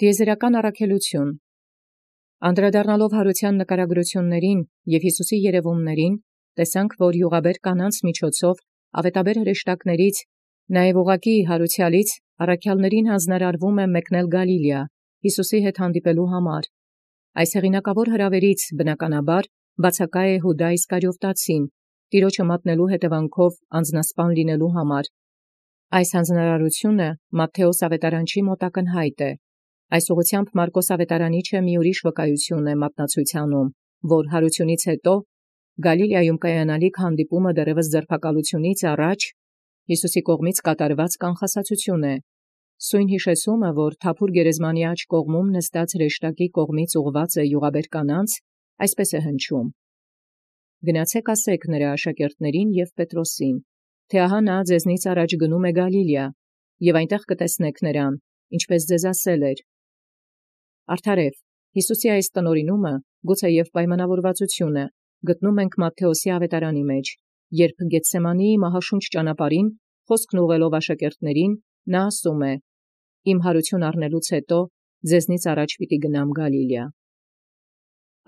Տիեզերական առաքելություն անդրադառնալով յարութեան նկարագրութիւնացն և Յիսուսի երևումացն, տեսանք, որ յուղաբեր կանանց միջոցով աւետաբեր հրեշտակաց, նաև ուղղակի յարութեալից առաքելոցն յանձնարարվում մեկնել Գալիլեա, Յիսուսի հետ հանդիպելու համար։ Այս հեղինակավոր հրավերից բնականաբար բացակայ է Յուդայ Իսկարիովտացին, Տեառնէ մատնելու հետևանքով անձնասպան լինելու համար։ Այս հանձնարարութիւնը Մատթէոս աւետարանչի մոտ ակնհայտ է։ Այս ուղղութեամբ Մարկոս աւետարանիչը մի ուրիշ վկայութիւն է մատնացույց անում, որ յարութիւնից յետո Գալիլեայում կայանալիք հանդիպումը դեռևս ձերբակալութիւնից առաջ Յիսուսի կողմից կատարված կանխասացութիւն է։ Սույն յիշեցումը, որ թափուր գերեզմանի աջ կողմում նստած հրեշտակի կողմից ուղղված է յուղաբեր կանանց, այսպես է հնչում. «Գնացեք ասեք նրա աշակերտներին և Պետրոսին, թէ ահա նա ձեզնից առաջ գնում է Գալիլեա, և այնտեղ կտեսնեք նրան, ինչպէս ձեզ ասել էր»։ Արդարև, Յիսուսի այս տնօրինումը, գուցե և պայմանավորվածութիւնը, գտնում ենք Մատթէոսի աւետարանի մեջ, երբ Գեթսեմանիի մահաշունչ ճանապարհին խոսքն ուղղելով աշակերտներին, նա ասում է. «Իմ յարութիւն առնելուց յետո ձեզնից առաջ պիտի գնամ Գալիլեա»։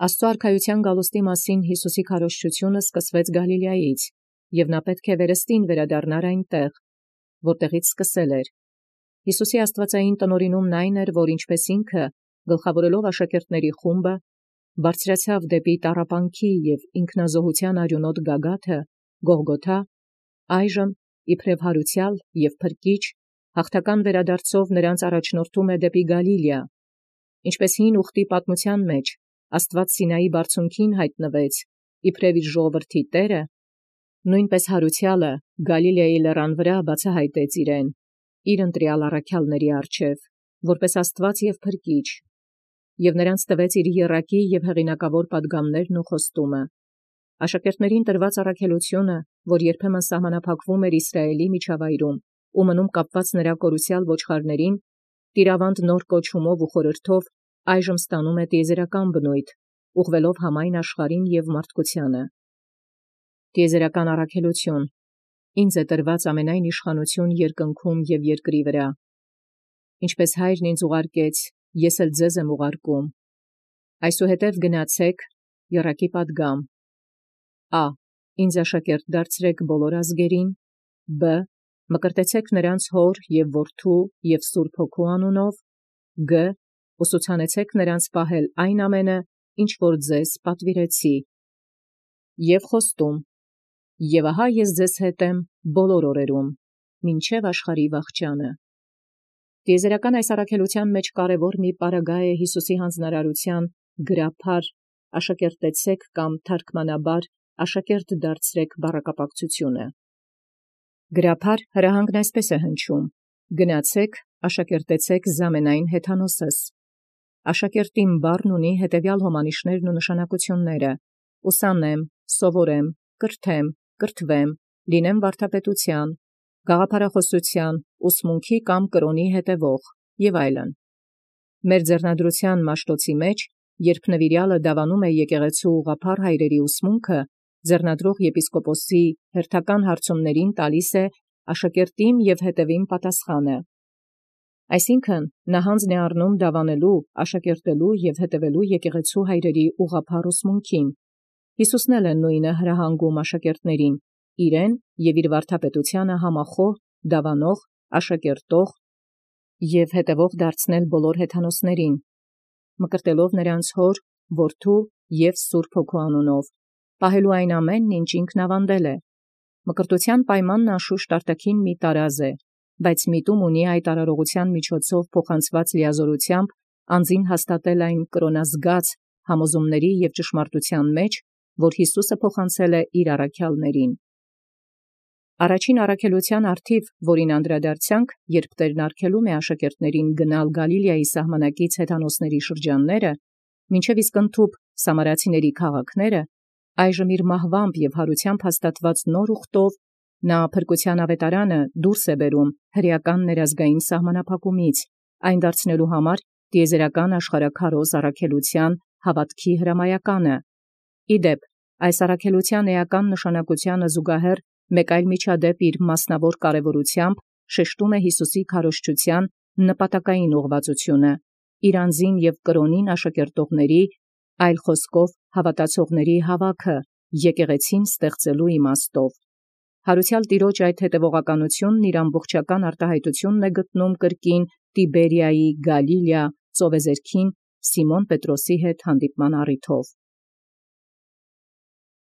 Աստուծոյ արքայութեան գալուստի մասին Յիսուսի քարոզչութիւնը սկսվեց Գալիլեայից, և նա պետք է վերստին վերադառնար այնտեղ, որտեղից սկսել էր։ Յիսուսի աստուածային տնօրինումն այն էր, որ ինչպէս ինքը, գլխավորելով աշակերտների խումբը, բարձրացավ դեպի տառապանքի և ինքնազոհութեան արիւնոտ գագաթը, Գողգոթա, այժմ իբրև յարութեալ և փրկիչ, հաղթական վերադարձով նրանց առաջնորդում է դեպի Գալիլեա, ինչպէս հին ուխտի պատմութեան մեջ Աստուած Սինայի բարձունքին յայտնվեց, իբրև իր ժողովրդի Տէրը, նոյնպէս յարութեալը Գալիլեայի լերան վրայ բացահայտեց իրեն, իր ընտրեալ առաքեալսն առջև, որպէս Աստուած և փրկիչ, և նրանց տվեց իր եռակի և հեղինակավոր պատգամներն ու խոստումը։ Աշակերտներին տրված առաքելությունը, որ երբեմն սահմանափակվում էր Իսրայէլի միջավայրում ու մնում կապված նրա կորուսեալ ոչխարներին, տիրաւանդ նոր կոչումով ու խորհրդով այժմ ստանում է տիեզերական բնույթ, ուղղվելով համայն աշխարհին և մարդկությանը։ Տիեզերական առաքելություն ինձ է տրված ամենայն իշխանութիւն երկնքում և երկրի վրայ։ Ինչպէս Հայրն ինձ ուղարկեց, ես էլ ձեզ եմ ուղարկում։ Այսուհետև գնացեք, եռակի պատգամ. Ա. Ինձ աշակերտ դարձրեք բոլոր ազգերին. Բ. Մկրտեցեք նրանց հոր և որդու և Սուրբ Հոգու անունով. Գ. Ուսուցանեցեք նրանց պահել այն ամենը, ինչ որ ձեզ պատվիրեցի։ Եւ խոստում. Եվ ահա ես ձեզ հետ եմ բոլոր օրերուն, մինչև աշխարհի վախճանը։ Տիեզերական այս առաքելութեան մեջ կարևոր մի պարագա է Յիսուսի հանձնարարութեան գրաբար աշակերտեցեք կամ թարգմանաբար աշակերտ դարձրեք բառակապակցութիւնը։ Գրաբար հրահանգն այսպես է հնչում. «Գնացեք, աշակերտեցեք զամենայն հեթանոսս»։ Աշակերտիմ բառն ունի հետևյալ հոմանիշներն ու նշանակությունները. ուսանեմ, սովորեմ, կրթեմ, կրթվեմ, լինեմ վարդապետութեան, գաղափարախոսութեան, ուսմունքի կամ կրոնի հետևող և այլն։ Մեր ձեռնադրութեան մաշտոցի մեջ, երբ նվիրյալը դավանում է եկեղեցու ուղղափառ հայրերի ուսմունքը, ձեռնադրող եպիսկոպոսի հերթական հարցումներին տալիս է աշակերտիմ և հետևիմ պատասխանը։ Այսինքն, նա հանձն է առնում դավանելու, աշակերտելու և հետևելու եկեղեցու հայրերի ուղղափառ ուսմունքին։ Յիսուսն էլ է նույնը հրահանգում աշակերտներին, իրեն և իր վարդապետությանը համախոհ, դավանող, աշակերտող և հետևող դարձնել բոլոր հեթանոսներին, մկրտելով նրանց հոր, որդու և Սուրբ Հոգու անունով, պահելու այն ամենն, ինչ ինքն աւանդել է։ Մկրտութեան պայմանն անշուշտ արտաքին մի տարազ է, բայց միտում ունի այդ արարողութեան միջոցով փոխանցված լիազորութեամբ անձին հաստատել այն կրոնազգաց համոզումների և ճշմարտութեան մեջ, որ Յիսուսը փոխանցել է իր առաքեալսներին։ Առաջին առաքելութեան առթիւ, որին անդրադարձանք, երբ Տէրն արգելում է աշակերտներին գնալ Գալիլեայի սահմանակից հեթանոսների շրջանները, մինչև իսկ ընդհուպ սամարացիների քաղաքները, այժմ իր մահվամբ և յարութեամբ հաստատված նոր ուխտով նա փրկութեան աւետարանը դուրս է բերում հրեական ներազգային սահմանափակումից, այն դարձնելու համար տիեզերական աշխարհաքարոզ առաքելութեան հաւատքի հրամայականը։ Իդեպ, այս առաքելութեան էական նշանակութեանը զուգահեռ մեկ այլ միջադեպ իր մասնավոր կարևորութեամբ շեշտում է Յիսուսի քարոզչութեան նպատակային ուղղվածությունը, իրանձին և կրոնին աշակերտողացն, այլ խոսքով հաւատացելոցն հաւաքը եկեղեցին ստեղծելու իմաստով։ Յարուցեալ Տեառն այդ հետևողականութիւնն ամբողջական արտահայտութիւնն գտնում կրկին Տիբերիայի Գալիլեա ծովեզերքին Սիմոն Պետրոսի հետ հանդիպման առիթով։